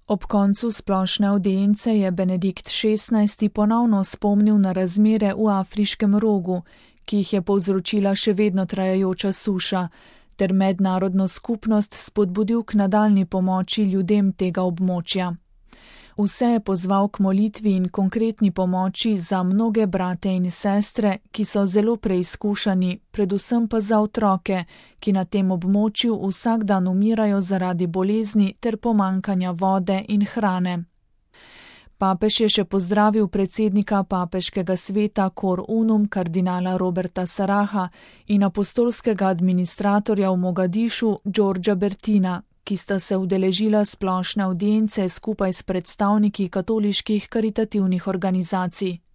Ob koncu splošne avdience je Benedikt XVI. Ponovno spomnil na razmere v Afriškem rogu, ki jih je povzročila še vedno trajajoča suša, ter mednarodno skupnost spodbudil k nadaljnji pomoči ljudem tega območja. Vse je pozval k molitvi in konkretni pomoči za mnoge brate in sestre, ki so zelo preizkušani, predvsem pa za otroke, ki na tem območju vsak dan umirajo zaradi bolezni ter pomanjkanja vode in hrane. Papež je še pozdravil predsednika papeškega sveta Cor Unum kardinala Roberta Saraha in apostolskega administratorja v Mogadišu Georgea Bertina, ki sta se udeležila splošne avdience skupaj s predstavniki katoliških karitativnih organizacij.